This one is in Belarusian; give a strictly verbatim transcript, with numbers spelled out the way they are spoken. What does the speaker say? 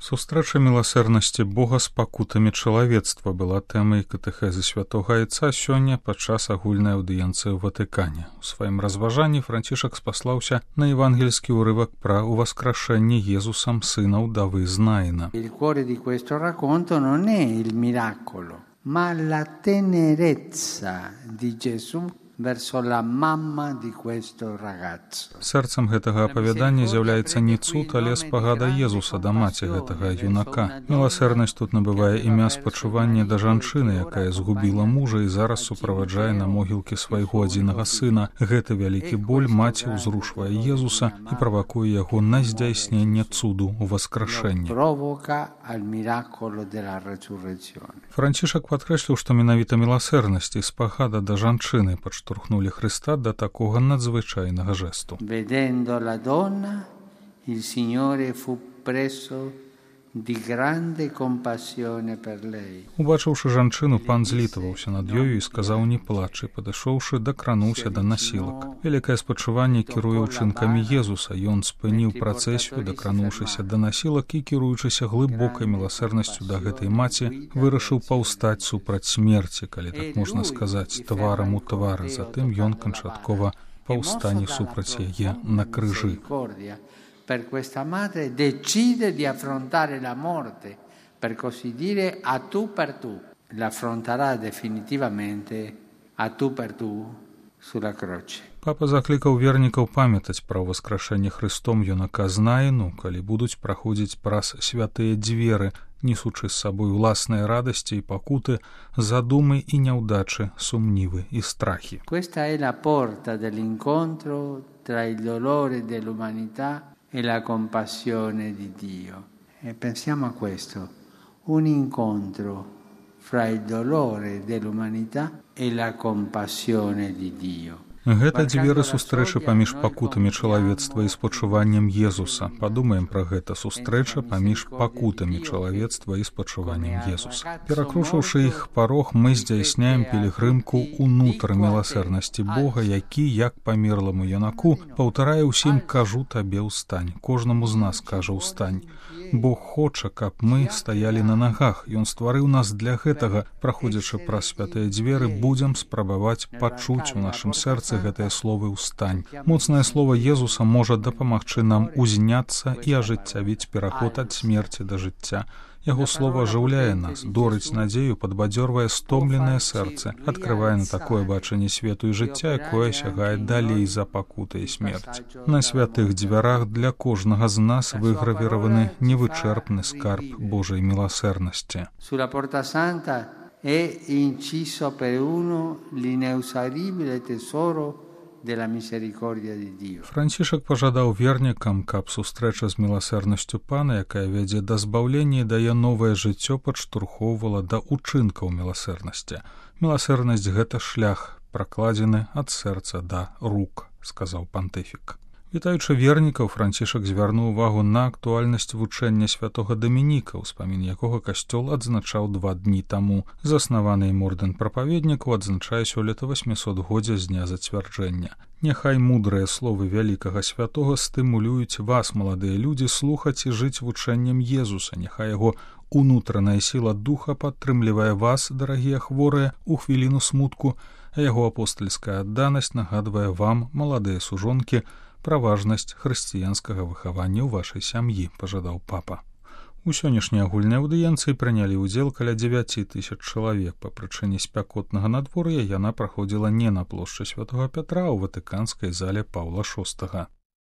Сустрэча міласэрнасці Бога з пакутамі чалавецтва была тэмай катэхезы святога Айца сёння падчас агульнай аўдыенцыі ў Ватыкане. У сваім разважанні Францішак спаслаўся на евангельскі ўрывак пра ўваскрашэнне Езусам сына ўдавы з Наіна. Il cuore di questo racconto non è il miracolo, ma la tenerezza di Gesù verso la mamma di questo ragazzo. Сэрцам гэтага апавядання з'яўляецца не цуд, але спагада Езуса да маці гэтага юнака. Міласэрнасць тут набывае імя спачування да жанчыны, якая згубіла мужа і зараз суправаджае на могілкі свайго адзінага сына. Гэты вялікі боль маці ўзрушвае Езуса і правакуе яго на здзяйсненне цуду ў васкрашэнні. Францішак падкрэсліў, што менавіта міласэрнасць і спагада да жанчыны падштурхнулі Христа да такога надзвычайнага жесту. Vedendo la donna, il Signore fu preso di grande compassione per lei. Убачыўшы жанчыну, пан злітаваўся над ёю і сказаў: «Не плач», і, падышоўшы, дакрануўся да насілак. Вялікае спачуванне кіруе ўчынкамі Езуса. Ён спыніў працэсію, дакрануўшыся да насілак і, кіруючыся глыбокай міласэрнасцю да гэтай маці, вырашыў паўстаць супраць смерці, калі так можна сказаць, тварам у твар. Затым ён канчаткова паўстане супраць яе на крыжы. Per questa madre decide di affrontare la morte, per così dire a tu per tu. L'affronterà definitivamente a tu per tu sulla croce. Папа заклікаў вернікаў памятаць пра ўваскрашэнне Христом юнака з Наіну, калі будуць праходзіць праз святыя дзверы, несучы з сабой уласныя радасці і пакуты, задумы і няўдачы, сумнівы і страхі. Questa è la porta dell'incontro tra il dolore dell'umanità e la compassione di Dio. E pensiamo a questo, un incontro fra il dolore dell'umanità e la compassione di Dio. Гэта дзверы сустрэчы паміж пакутамі чалавецтва і спачуваннем Езуса. Падумаем пра гэта: сустрэча паміж пакутамі чалавецтва і спачуваннем Езуса. Перакрушыўшы іх парог, мы здзяйсняем пілігрымку ўнутр міласэрнасці Бога, які, як памерламу юнаку, паўтарае ўсім: «Кажу табе, ўстань». Кожнаму з нас кажа: «Ўстань». Бог хоча, каб мы стаялі на нагах. Ён стварыў нас для гэтага. Праходзячы праз святыя дзверы, будзем спрабаваць пачуць у нашым сэрцы гэтыя словы «Устань». Моцнае слово Езуса можа дапамагчы нам узняцца і ажыццявіць пераход ад смерці да жыцця. Яго слово ажыўляе нас, дорыць надзею, падбадзёрвае стомленае сэрцы, адкрывае на такое бачанне свету і жыцця, якое сягае далей за пакуты і смерць. На святых дзвярах для кожнага з нас выгравіраваны невычэрпны скарб Божай міласэрнасці. Sulla porta santa è inciso per uno l'inesauribile tesoro della misericordia di Dio. Францішак пажадаў вернікам, каб сустрэча з міласэрнасцю Пана, якая вядзе да збаўлення і дае новае жыццё, падштурхоўвала да ўчынкаў міласэрнасці. Міласэрнасць — гэта шлях, пракладзены ад сэрца да рук, сказаў пантыфік. Вітаючы вернікаў, Францішак звярнуў увагу на актуальнасць вучэння святога Дамініка, успамін якога касцёл адзначаў два дні таму. Заснаваны ім ордэн прапаведнікаў адзначае сёлета васьмісотгоддзе з дня зацвярджэння. Няхай мудрыя словы вялікага святога стымулююць вас, маладыя людзі, слухаць і жыць вучэннем Езуса. Няхай яго унутраная сіла духа падтрымлівае вас, дарагія хворыя, у хвіліну смутку, а яго апостальская адданасць нагадвае вам, маладыя сужонкі, пра важнасць хрысціянскага выхавання ў вашай сям'і, пажадаў папа. У сённяшняй агульнай аўдыенцыі прынялі ўдзел каля дзевяці тысяч чалавек. Па прычыне спякотнага надвор'я яна праходзіла не на плошчы святога Пятра, а ў ватыканскай зале Паўла шостага.